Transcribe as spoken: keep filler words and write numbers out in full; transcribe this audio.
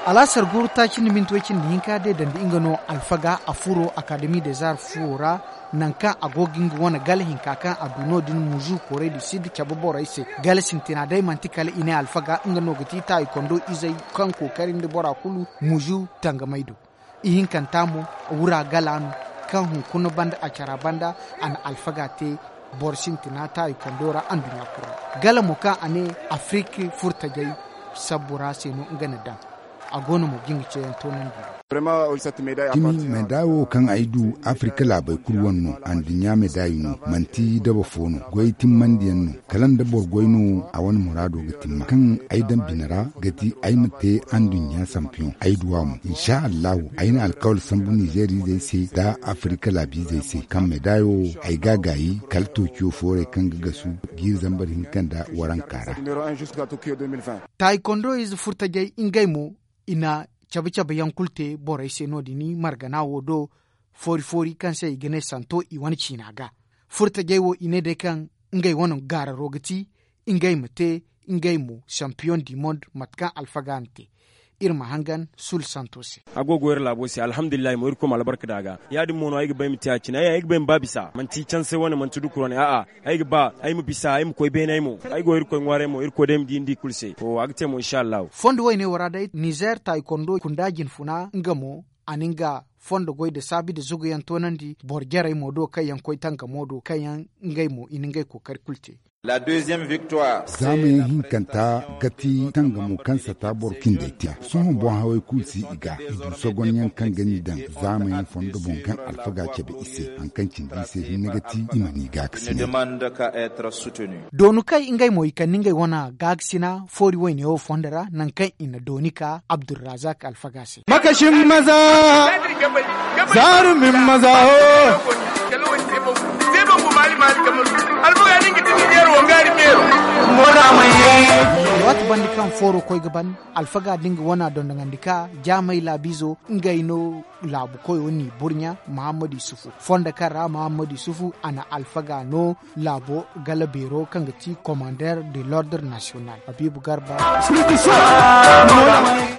Alaasar guuru taaci nda minti way cindi hinka day dandi nga no alfaga a furo akademi des arts fuwo ra, nangu kaŋ a go ga nga wane gala hinka kaŋ a du no- din muzu koorey du sid cabe borey se. Gala sintina day manti kala i ne alfaga nga no ga ti taayi kondo izey kaŋ kookari nda bora kulu muzu tangamay do. Ihinkanta mo wura gala no kaŋ hunkuna banda a cara banda a na alfaga te boro sintina taayi kondo ra anduɲɲa kulu ra. Gala mo kaŋ a ne afirik furtajey sabbu ra se no nga na daŋ. A go no mo ga nga ceeyaŋ toonandi. Cimi meedaay wo kaŋ ay du afirika laabey kulu wane no. Anduɲɲa meedaay no manti daba fo no. Goy timmandi yaŋ no. Kala nda boro goy no a wane muraado ga timma kaŋ ay daŋ bine ra ga ti ay ma te anduɲɲa sampiyoŋ ay du a mo. Insa allahu ay na alkawal sambu nizeer izey se nda afirika laabiizey se kaŋ meedaayo ay ga a gaayi kala tookiyo foorey kaŋ ga gasu jiiri zambar hinka nda waranka ra. Taayi kondo ize furtajey ngey mo i na cabe cabe yaŋ kulu te borey se no- din margana wo do. Foori foori kaŋ se i ga ne santo i wane ciina ga furtajey wo i ne day kaŋ ngey wane gaararo ga ti ngey ma te ngey mo sampiyoŋ di mond mate kaŋ alfaga na te. Iri ma hangan sul santo se. A go ga wo iri laabo se alhamdulillahi mo irkoy ma albarka da a ga. Ya- din mo no ay ga ba ay ma te a cine ay ga ba ay ma ba bisa manti canse wane manti dukur wane a'a. Ay ga ba ay ma bisa ay ma koy beene ay mo. Ay go irkoy ŋwaaray mo irkoy day ma di ni di kulu se. To a ga te mo insa allahu. Fondo woyne wo ra day nizeer taayi kondo kunda jinfuna nga mo a na nga fondo goy nda saabi nda zugu yaŋ toonandi boro jarey mo do kaŋ yaŋ koy tangamo do kaŋ yaŋ ngey mo i na ngey kookari kulu te. Zaamayaŋ hinkanta ga ti tangamo kaŋ sata boro cindey te. Sohõ boŋ hawey kulu si i ga i du sogonyaŋ kaŋ ga ni daŋ zaamayaŋ fondo boŋ kaŋ alfaga cabe i se hari kaŋ cindi i se hinne ga ti i ma ni gaakasina. Doonu kaŋ ngey mo i kande ngey wane gaakasina foori woyne wo fondo ra nangu kaŋ i na dooni ka abdurrazak alfaga se. Makasin maza zaarumin maza wo. Waati banda kaŋ fooro koy ga ban alfaga da nga wana dondonandi ka jaamay laabiizo ngey no laabu koyo n'i burɲa muhammad yusufu fondo kaŋ ra muhammad yusufu a na alfaga no laabo gala beero kaŋ ga ti commander de l'ordre national habiibu garba.